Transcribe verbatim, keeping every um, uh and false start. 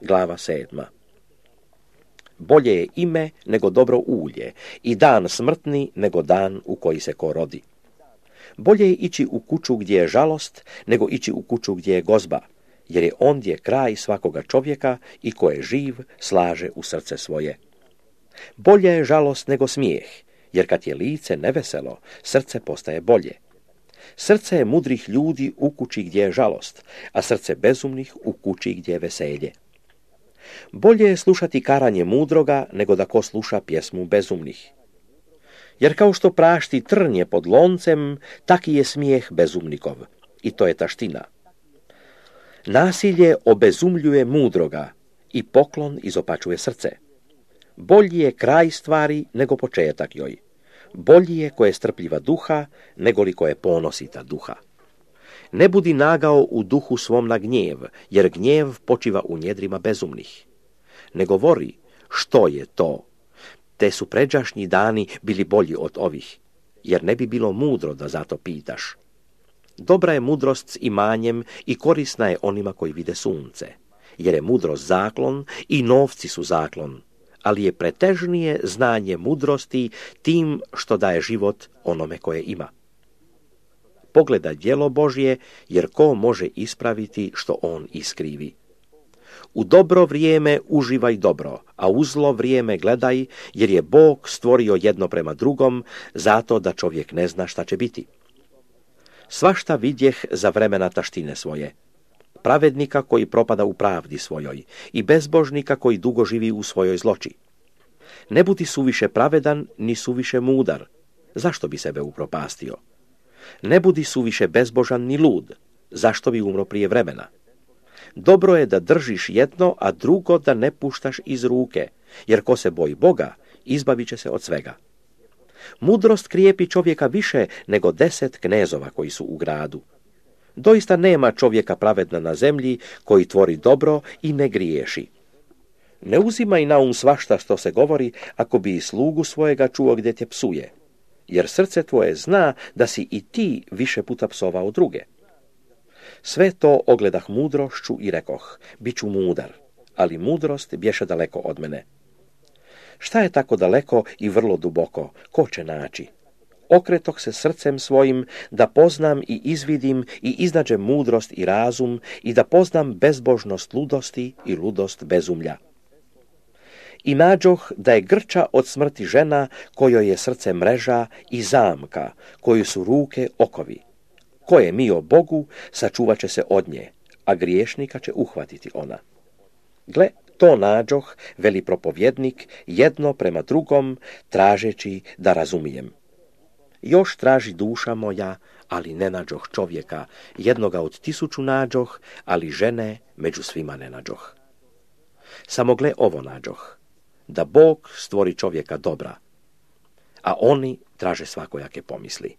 Glava sedma. Bolje je ime nego dobro ulje i dan smrtni nego dan u koji se ko rodi. Bolje je ići u kuću gdje je žalost nego ići u kuću gdje je gozba, jer je ondje kraj svakoga čovjeka i ko je živ slaže u srce svoje. Bolje je žalost nego smijeh, jer kad je lice neveselo, srce postaje bolje. Srce je mudrih ljudi u kući gdje je žalost, a srce bezumnih u kući gdje je veselje. Bolje je slušati karanje mudroga nego da ko sluša pjesmu bezumnih. Jer kao što prašti trnje pod loncem, taki je smijeh bezumnikov, i to je taština. Nasilje obezumljuje mudroga i poklon izopačuje srce. Bolji je kraj stvari nego početak joj. Bolji je ko je strpljiva duha nego li ko je ponosita duha. Ne budi nagao u duhu svom na gnjev, jer gnjev počiva u njedrima bezumnih. Ne govori što je to, te su pređašnji dani bili bolji od ovih, jer ne bi bilo mudro da zato pitaš. Dobra je mudrost s imanjem i korisna je onima koji vide sunce, jer je mudrost zaklon i novci su zaklon, ali je pretežnije znanje mudrosti tim što daje život onome koje ima. Pogledaj djelo Božje, jer ko može ispraviti što on iskrivi. U dobro vrijeme uživaj dobro, a u zlo vrijeme gledaj, jer je Bog stvorio jedno prema drugom, zato da čovjek ne zna šta će biti. Svašta vidjeh za vremena taštine svoje. Pravednika koji propada u pravdi svojoj i bezbožnika koji dugo živi u svojoj zloči. Ne budi suviše pravedan, ni suviše mudar. Zašto bi sebe upropastio? Ne budi suviše bezbožan ni lud. Zašto bi umro prije vremena? Dobro je da držiš jedno, a drugo da ne puštaš iz ruke, jer ko se boji Boga, izbavit će se od svega. Mudrost krijepi čovjeka više nego deset knezova koji su u gradu. Doista nema čovjeka pravedna na zemlji koji tvori dobro i ne griješi. Ne uzimaj na um svašta što se govori, ako bi i slugu svojega čuo gdje te psuje, jer srce tvoje zna da si i ti više puta psovao druge. Sve to ogledah mudrošću i rekoh, bit ću mudar, ali mudrost bješe daleko od mene. Šta je tako daleko i vrlo duboko, ko će naći? Okretoh se srcem svojim da poznam i izvidim i iznađem mudrost i razum i da poznam bezbožnost ludosti i ludost bezumlja. I nađoh da je grča od smrti žena kojoj je srce mreža i zamka, koju su ruke okovi. Ko je mio Bogu, sačuvat će se od nje, a griješnika će uhvatiti ona. Gle, to nađoh, veli propovjednik, jedno prema drugom, tražeći da razumijem. Još traži duša moja, ali ne nađoh čovjeka, jednoga od tisuću nađoh, ali žene među svima ne nađoh. Samo gle ovo nađoh, da Bog stvori čovjeka dobra, a oni traže svakojake pomisli.